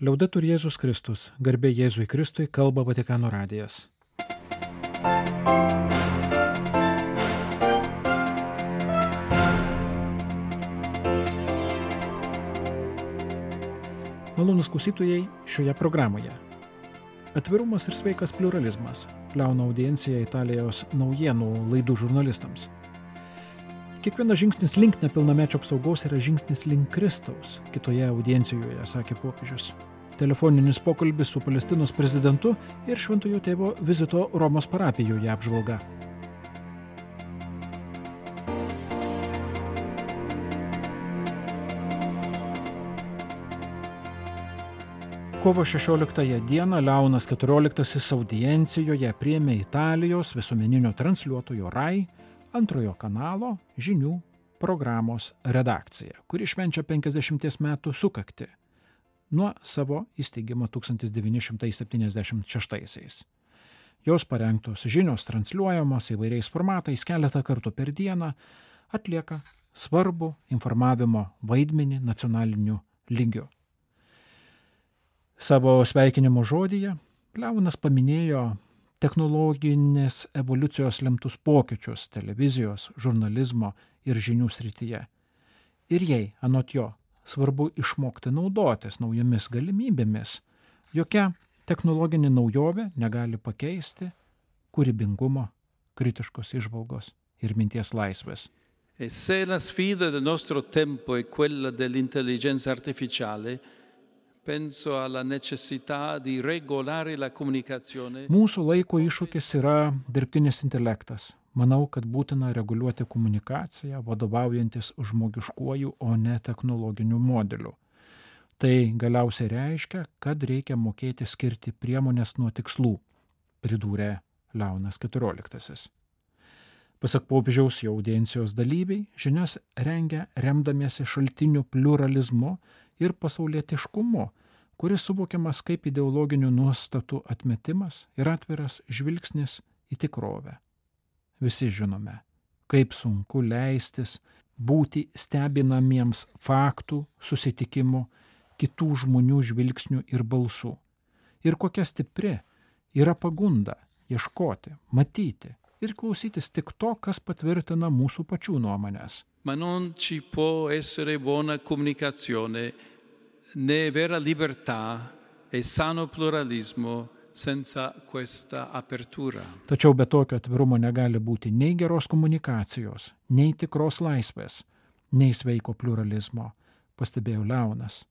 Liaudetur Jėzus Kristus, garbė Jėzui Kristui, kalba Vatikano radijas. Malonūs klausytojai šioje programoje. Atvirumas ir sveikas pliuralizmas. Liauna audiencija Italijos naujienų laidų žurnalistams. Kiekvienas žingsnis link nepilnamečio apsaugos yra žingsnis link Kristaus, kitoje audiencijoje, sakė popiežius. Telefoninis pokalbis su Palestinos prezidentu ir Šventojo Tėvo vizito Romos parapijoje apžvalga. Kovo 16 dieną Leonas XIV audiencijoje priėmė Italijos visuomeninio transliuotojo RAI antrojo kanalo žinių programos redakcija, kuri švenčia 50 metų sukaktį nuo savo įsteigimo 1976. Jos parengtos žinios transliuojamos įvairiais formatais keletą kartų per dieną atlieka svarbų informavimo vaidmenį nacionaliniu lygiu. Savo sveikinimo žodyje Leonas paminėjo technologinės evoliucijos lemtus pokyčius televizijos, žurnalizmo ir žinių srityje. Ir jei, anot jo, svarbu išmokti naudotis naujomis galimybėmis, jokia technologinė naujovė negali pakeisti kūrybingumo, kritiškos įžvalgos ir minties laisvės. E se la sfida del nostro tempo è quella dell'intelligenza artificiale, penso alla necessità di regolare la comunicazione. Mūsų laiko iššūkis yra dirbtinis intelektas. Manau, kad būtina reguliuoti komunikaciją, vadovaujantis žmogiškuoju, o ne technologiniu modeliu. Tai galiausiai reiškia, kad reikia mokėti skirti priemonės nuo tikslų, pridūrė Leonas XIV. Pasak popiežiaus jo audiencijos dalyviai, žinias rengia remdamiesi šaltinių pliuralizmu ir pasaulietiškumu, kuris suvokiamas kaip ideologinių nuostatų atmetimas ir atviras žvilgsnis į tikrovę. Visi žinome, kaip sunku leistis būti stebinamiems faktų, susitikimų, kitų žmonių žvilgsnių ir balsų. Ir kokia stipri yra pagunda ieškoti, matyti ir klausytis tik to, kas patvirtina mūsų pačių nuomonės. Ma non ci può essere buona comunicazione né vera libertà e sano pluralismo senza questa apertura. Tačiau be tokio atvirumo negali būti nei geros komunikacijos, nei tikros laisvės, nei sveiko pluralizmo, pastebėjo Leonas.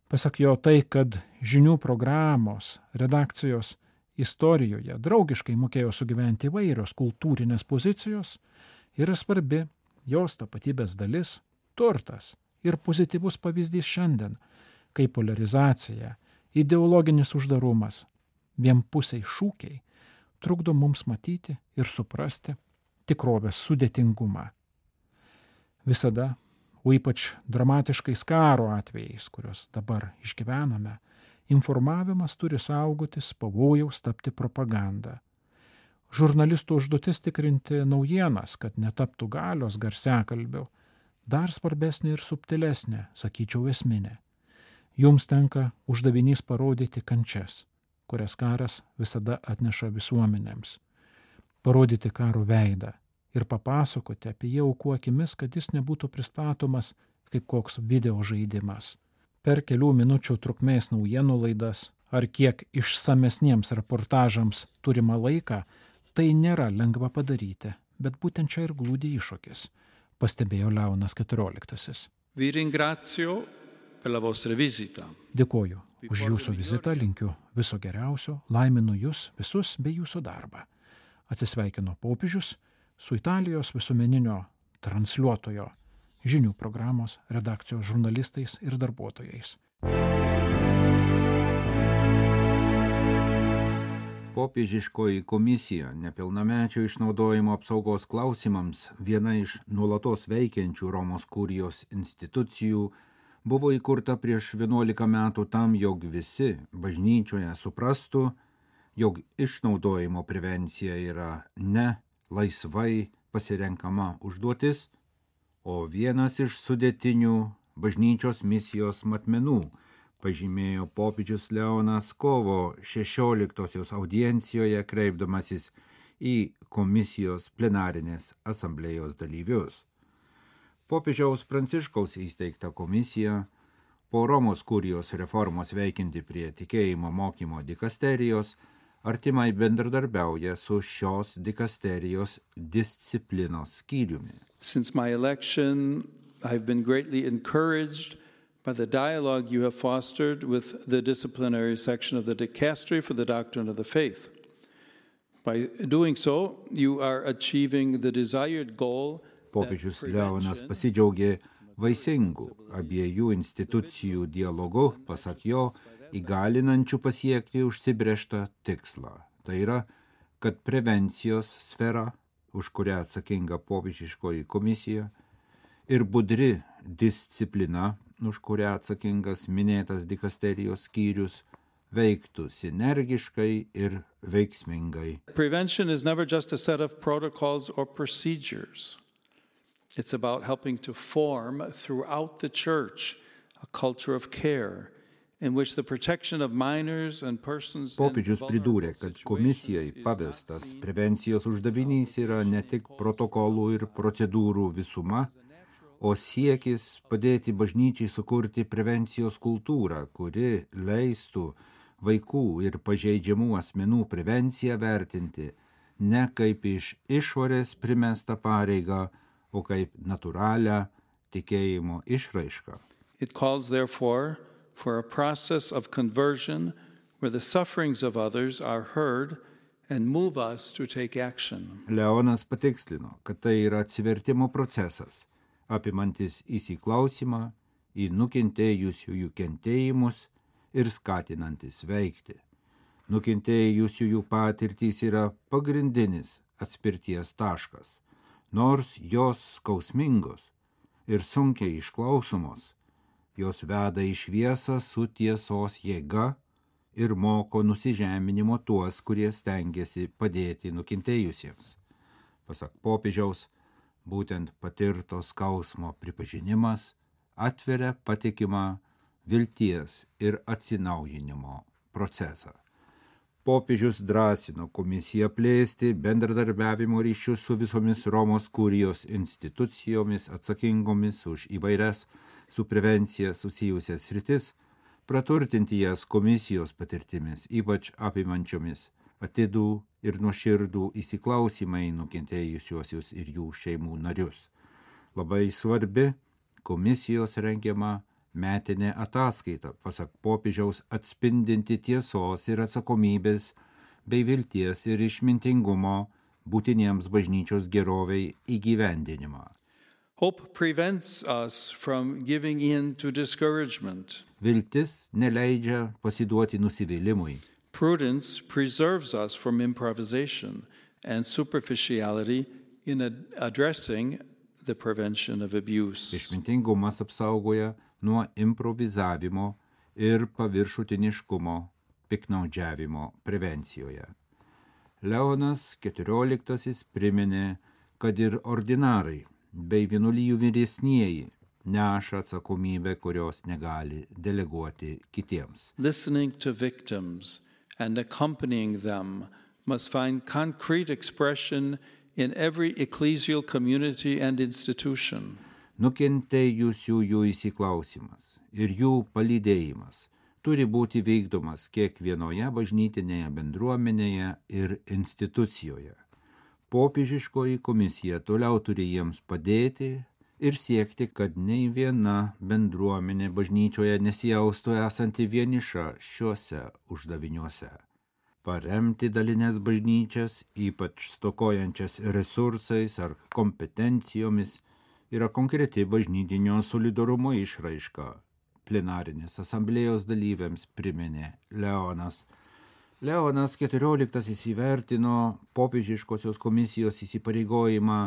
Pasak jo tai, kad žinių programos, redakcijos istorijoje draugiškai mokėjo sugyventi įvairios kultūrinės pozicijos, yra svarbi jos tapatybės dalis, turtas ir pozityvus pavyzdys šiandien, kai polarizacija, ideologinis uždarumas, vienpusiai šūkiai trukdo mums matyti ir suprasti tikrovės sudėtingumą. Visada, o ypač dramatiškais karo atvejais, kuriuos dabar išgyvename, informavimas turi saugotis pavojaus tapti propaganda. Žurnalistų užduotis tikrinti naujienas, kad netaptų galios garsiakalbių, dar svarbesnė ir subtilesnė, sakyčiau esminė. Jums tenka uždavinys parodyti kančias, kurias karas visada atneša visuomenėms. Parodyti karo veidą ir papasakoti apie jį aukų akimis, kad jis nebūtų pristatomas kaip koks video žaidimas. Per kelių minučių trukmės naujienų laidas ar kiek išsamesniems reportažams turimą laiką, tai nėra lengva padaryti, bet būtent čia ir glūdi iššūkis, pastebėjo Leonas XIV. Vi ringrazio per la vostra visita. Dėkoju už jūsų vizitą, linkiu viso geriausio, laiminu jūs visus bei jūsų darbą. Atsisveikino popiežius su Italijos visuomeninio transliuotojo žinių programos redakcijos žurnalistais ir darbuotojais. Popiežiškoji komisija nepilnamečio išnaudojimo apsaugos klausimams, viena iš nuolatos veikiančių Romos kurijos institucijų, buvo įkurta prieš 11 metų tam, jog visi bažnyčioje suprastų, jog išnaudojimo prevencija yra ne laisvai pasirenkama užduotis, o vienas iš sudėtinių bažnyčios misijos matmenų pažymėjo popiežius Leonas kovo 16 audiencijoje kreipdamasis į komisijos plenarinės asamblėjos dalyvius. Popiežiaus Pranciškaus įsteigta komisija po Romos kurijos reformos veikianti prie tikėjimo mokymo dikasterijos artimai bendradarbiauja su šios dikasterijos disciplinos skyriumi. Since my election, I've been greatly encouraged by the dialogue you have fostered with the disciplinary section of the Dicastery for the Doctrine of the Faith. By doing so, you are achieving the desired goal. Popiežius Leonas pasidžiaugė vaisingų abiejų institucijų dialogu, pasak jo, įgalinančių pasiekti užsibrėžtą tikslą. Tai yra, kad prevencijos sfera, už kurią atsakinga popiežiškoji komisija, ir budri disciplina, už kurią atsakingas minėtas dikasterijos skyrius, veiktų sinergiškai ir veiksmingai. Prevention is never just a set of protocols or procedures. It's about helping to form throughout the church a culture of care in which the protection of minors and persons. Popiežius pridūrė, kad komisijai pavestas prevencijos uždavinys yra ne tik protokolų ir procedūrų visuma, o siekis padėti bažnyčiai sukurti prevencijos kultūrą, kuri leistų vaikų ir pažeidžiamų asmenų prevenciją vertinti ne kaip iš išorės primestą pareigą, o kaip natūralią tikėjimo išraišką. It calls, therefore, for a process of conversion where the sufferings of others are heard and move us to take action. Leonas patikslino, kad tai yra atsivertimo procesas, apimantis įsiklausimą į nukentėjusiųjų kentėjimus ir skatinantis veikti. Nukentėjusiųjų patirtys yra pagrindinis atspirties taškas, nors jos skausmingos ir sunkiai išklausomos, jos veda į šviesą su tiesos jėga ir moko nusižeminimo tuos, kurie stengiasi padėti nukentėjusiems. Pasak popiežiaus, būtent patirto skausmo pripažinimas atveria patikimą vilties ir atsinaujinimo procesą. Popiežius drąsino komisiją plėsti bendradarbiavimo ryšius su visomis Romos kurijos institucijomis atsakingomis už įvairias su prevencija susijusias sritis, praturtinti jas komisijos patirtimis, ypač apimančiomis atidų ir nuoširdų įsiklausimą į nukentėjusiuosius ir jų šeimų narius. Labai svarbi komisijos rengiama metinė ataskaita, pasak popiežiaus, atspindinti tiesos ir atsakomybės bei vilties ir išmintingumo būtiniems bažnyčios geroviai įgyvendinimą. Hope prevents us from giving in to discouragement. Viltis neleidžia pasiduoti nusivylimui. Prudence preserves us from improvisation and superficiality in addressing the prevention of abuse. Išmintingumas apsaugoja nuo improvizavimo ir paviršutiniškumo piktnaudžiavimo prevencijoje. Leonas XIV priminė, kad ir ordinarai bei vienuolijų vyresnieji neša atsakomybę, kurios negali deleguoti kitiems. Listening to victims and accompanying them must find concrete expression in every ecclesial community and institution. Nukentėjusiųjų įsiklausimas ir jų palydėjimas turi būti vykdomas kiekvienoje bažnytinėje bendruomenėje ir institucijoje. Popiežiškoji komisija toliau turi jiems padėti ir siekti, kad nei viena bendruomenė bažnyčioje nesijaustų esanti vieniša šiuose uždaviniuose. Paremti dalinės bažnyčias, ypač stokojančias resursais ar kompetencijomis, yra konkreti bažnytinio solidarumo išraiška. Plenarinės asamblėjos dalyviams priminė Leonas. Leonas XIV įvertino popiežiškosios komisijos įsipareigojimą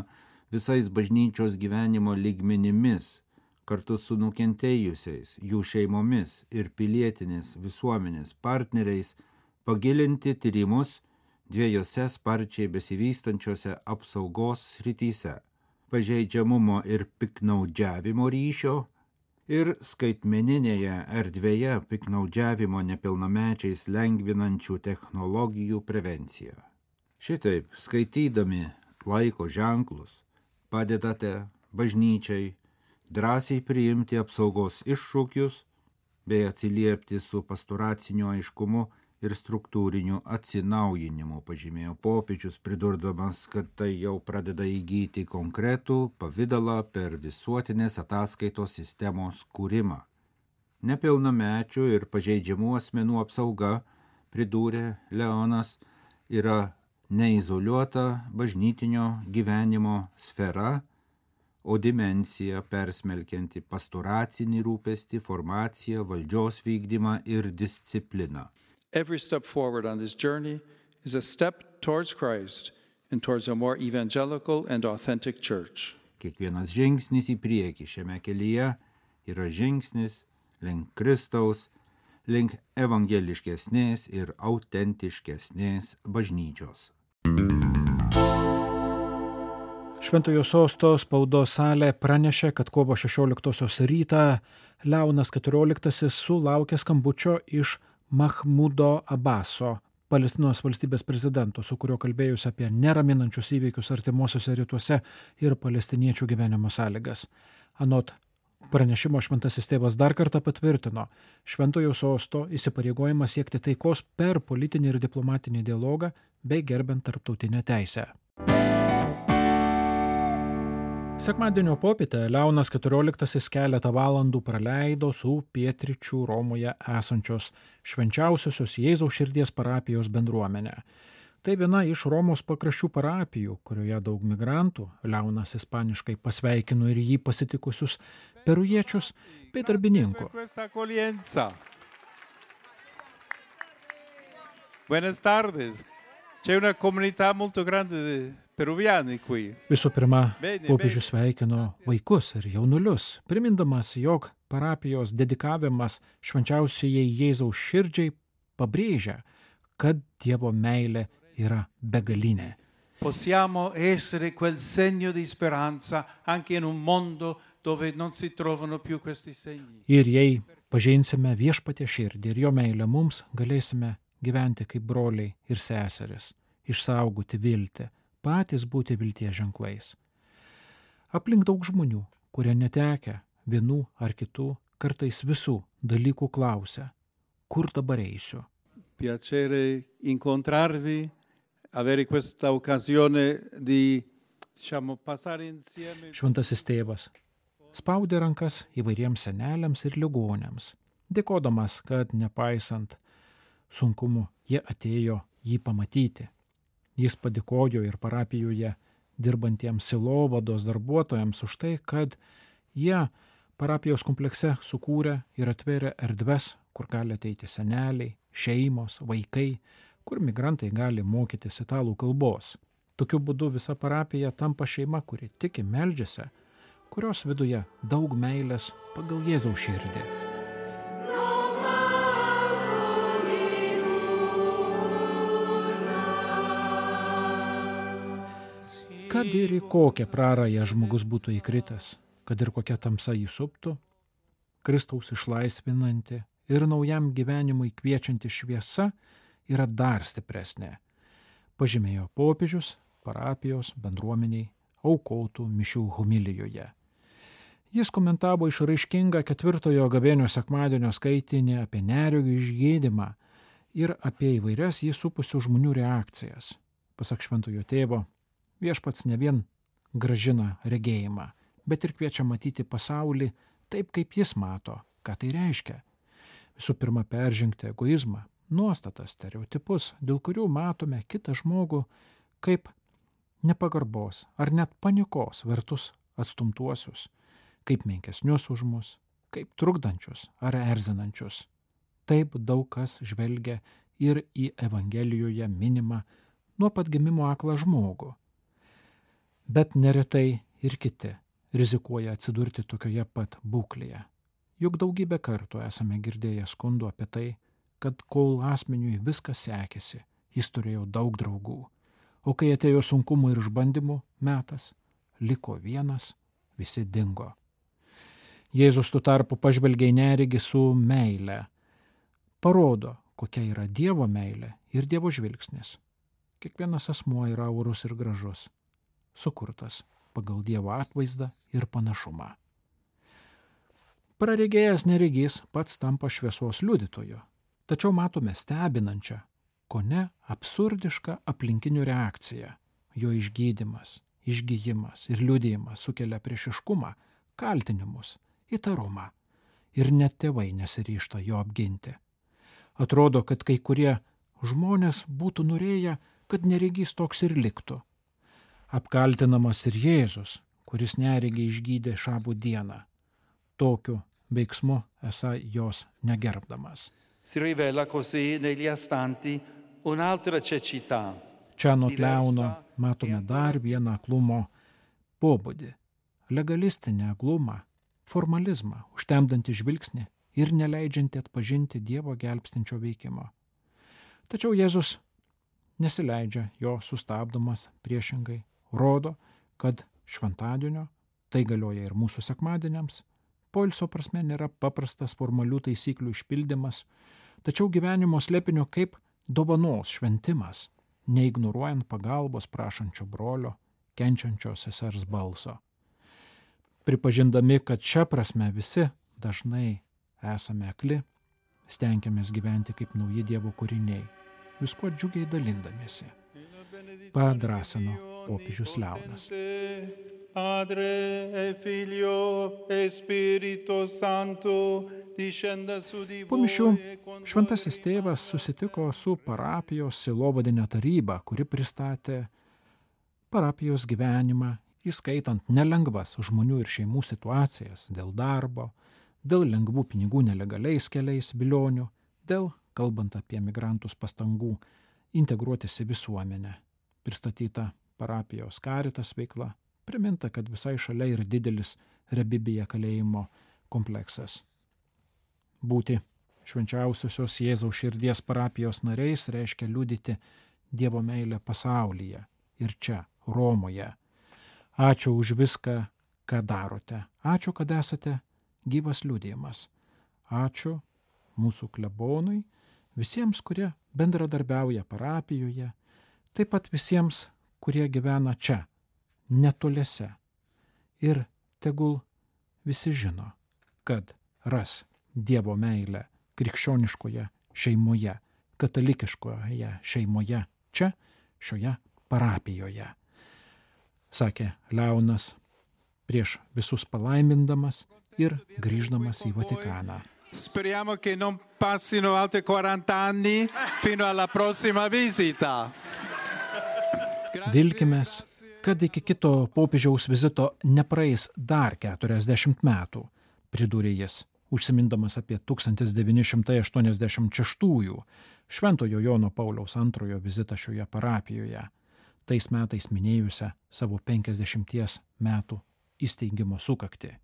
visais bažnyčios gyvenimo lygmenimis, kartu su nukentėjusiais, jų šeimomis ir pilietinės visuomenės partneriais pagilinti tyrimus dviejose sparčiai besivystančiose apsaugos srityse – pažeidžiamumo ir piktnaudžiavimo ryšio ir skaitmeninėje erdvėje piknaudžiavimo nepilnamečiais lengvinančių technologijų prevencija. Šitaip, skaitydami laiko ženklus, padedate bažnyčiai drąsiai priimti apsaugos iššūkius bei atsiliepti su pastoraciniu aiškumu ir struktūriniu atsinaujinimu, pažymėjo popiežius, pridurdamas, kad tai jau pradeda įgyti konkretų pavidalą per visuotinės ataskaitos sistemos kūrimą. Nepilnamečių ir pažeidžiamų asmenų apsauga, pridūrė Leonas, yra neizoliuota bažnytinio gyvenimo sfera, o dimensija persmelkianti pastoracinį rūpestį, formaciją, valdžios vykdymą ir discipliną. Every step forward on this journey is a step towards Christ and towards a more evangelical and authentic church. Kiekvienas žingsnis į priekį šiame kelyje yra žingsnis link Kristaus, link evangeliškesnės ir autentiškesnės bažnyčios. Šventojo Sosto spaudos salė pranešė, kad kovo 16 rytą Leonas XIV sulaukė skambučio iš Mahmudo Abaso, Palestinos valstybės prezidento, su kuriuo kalbėjus apie neraminančius įvykius artimuosiuose rytuose ir palestiniečių gyvenimo sąlygas. Anot pranešimo Šventasis tėvas dar kartą patvirtino Šventojo Sosto įsipareigojimą siekti taikos per politinį ir diplomatinį dialogą bei gerbent tarptautinę teisę. Sekmadienio popietę Leonas XIV keletą valandų praleido su pietryčių Romoje esančios Švenčiausiosios Jėzaus širdies parapijos bendruomenė. Tai viena iš Romos pakraščių parapijų, kurioje daug migrantų. Leonas ispaniškai pasveikino ir jį pasitikusius perujiečius bei darbininkų. Buenas tardes. C'è una comunità molto grande di peruviani qui. Visų pirma, popiežius sveikino vaikus ir jaunulius, primindamas, jog parapijos dedikavimas švenčiausiajai Jėzaus širdžiai pabrėžia, kad Dievo meilė yra begalinė. Possiamo essere quel segno di speranza anche in un mondo dove non si trovano più questi segni. Ir jei pažinsime viešpatie širdį ir jo meilę mums, galėsime gyventi kaip broliai ir seseris, išsaugoti viltį, patys būti vilties ženklais. Aplink daug žmonių, kurie netekę vienų ar kitų, kartais visų dalykų klausia, kur dabar eisiu. Piacere incontrarvi, avere questa occasione di, passare insieme. Šventasis tėvas spaudė rankas įvairiems seneliams ir ligonėms, dėkodamas, kad nepaisant sunkumų jie atėjo jį pamatyti. Jis padėkojo ir parapijoje dirbantiems sielovados darbuotojams už tai, kad jie parapijos komplekse sukūrė ir atvėrė erdves, kur gali ateiti seneliai, šeimos, vaikai, kur migrantai gali mokytis italų kalbos. Tokiu būdu visa parapija tampa šeima, kuri tiki, meldžiasi, kurios viduje daug meilės pagal Jėzaus širdį. Kad ir į kokią prarają žmogus būtų įkritęs, kad ir kokia tamsa jį suptų, Kristaus išlaisvinanti ir naujam gyvenimui kviečianti šviesa yra dar stipresnė, pažymėjo popiežius parapijos bendruomeniai aukotų mišių homilijoje. Jis komentavo išraiškingą 4 gavėnio sekmadienio skaitinį apie neregių išgydymą ir apie įvairias jį supusių žmonių reakcijas. Pasak šventojo tėvo, viešpats ne vien gražina regėjimą, bet ir kviečia matyti pasaulį taip, kaip jis mato, ką tai reiškia. Visų pirma, peržengti egoizmą, nuostatas, stereotipus, dėl kurių matome kitą žmogų kaip nepagarbos ar net panikos vertus atstumtuosius, kaip menkesnius už mus, kaip trukdančius ar erzinančius. Taip daug kas žvelgia ir į Evangelijoje minimą nuo pat gimimo aklą žmogų. Bet neretai ir kiti rizikuoja atsidurti tokioje pat būklėje. Juk daugybę kartų esame girdėję skundų apie tai, kad kol asmeniui viskas sekėsi, jis turėjo daug draugų, o kai atėjo sunkumų ir išbandymų metas, liko vienas, visi dingo. Jėzus tuo tarpu pažvelgia į neregį su meile. Parodo, kokia yra Dievo meilė ir Dievo žvilgsnis. Kiekvienas asmuo yra orus ir gražus, sukurtas pagal Dievo atvaizdą ir panašumą. Praregėjęs neregys pats tampa šviesos liudytoju, tačiau matome stebinančią, kone absurdišką aplinkinių reakciją. Jo išgydymas, išgijimas ir liudijimas sukelia priešiškumą, kaltinimus, įtarumą ir net tėvai nesiryžta jo apginti. Atrodo, kad kai kurie žmonės būtų norėję, kad neregys toks ir liktų. Apkaltinamas ir Jėzus, kuris neregį išgydė šabų dieną, tokiu veiksmu esą jos negerbdamas. Si rivela così negli astanti un'altra cecità. Čia anot Leono matome dar vieną aklumo pobūdį, legalistinę aklumą, formalizmą, užtemdantį žvilgsnį ir neleidžiantį atpažinti Dievo gelbstinčio veikimo. Tačiau Jėzus nesileidžia jo sustabdomas, priešingai rodo, kad šventadienio, tai galioja ir mūsų sekmadieniams, poilsio prasme nėra paprastas formalių taisyklių išpildymas, tačiau gyvenimo slėpinio kaip dovanos šventimas, neignoruojant pagalbos prašančio brolio, kenčiančio sesers balso. Pripažindami, kad šią prasme visi dažnai esame akli, stengiamės gyventi kaip nauji Dievo kūriniai, viskuo džiugiai dalindamiesi. Padrąsino popiežius Leonas. Padre e Figlio e Spirito Santo discenda su di voi. Po mišių šventasis tėvas susitiko su parapijos sielovadine taryba, kuri pristatė parapijos gyvenimą, įskaitant nelengvas žmonių ir šeimų situacijas dėl darbo, dėl lengvų pinigų nelegaliais keliais vilionių, dėl, kalbant apie migrantus, pastangų integruotis į visuomenę. Pristatyta parapijos Caritas veikla, priminta, kad visai šalia ir didelis Rebibija kalėjimo kompleksas. Būti švenčiausiosios Jėzaus širdies parapijos nariais reiškia liudyti Dievo meilę pasaulyje ir čia, Romoje. Ačiū už viską, ką darote. Ačiū, kad esate gyvas liudijimas. Ačiū mūsų klebonui, visiems, kurie bendradarbiauja parapijoje, taip pat visiems, kurie gyvena čia, netoliese. Ir tegul visi žino, kad ras Dievo meilę krikščioniškoje šeimoje, katalikiškoje šeimoje, čia, šioje parapijoje. Sakė Leonas prieš visus palaimindamas ir grįždamas į Vatikaną. Speriamo che non passino altri 40 anni fino alla prossima visita. Vilkimės, kad iki kito popiežiaus vizito nepraeis dar 40 metų, pridūrė jis, užsimindamas apie 1986 Šventojo Jono Pauliaus II vizitą šioje parapijoje, tais metais minėjusią savo 50 metų įsteigimo sukaktį.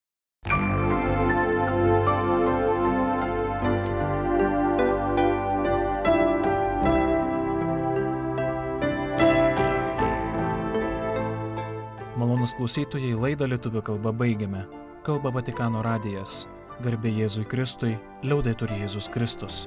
Malonūs klausytojai, laidą lietuvių kalba baigiame. Kalba Vatikano radijas. Garbė Jėzui Kristui, liaudetur Jėzus Kristus.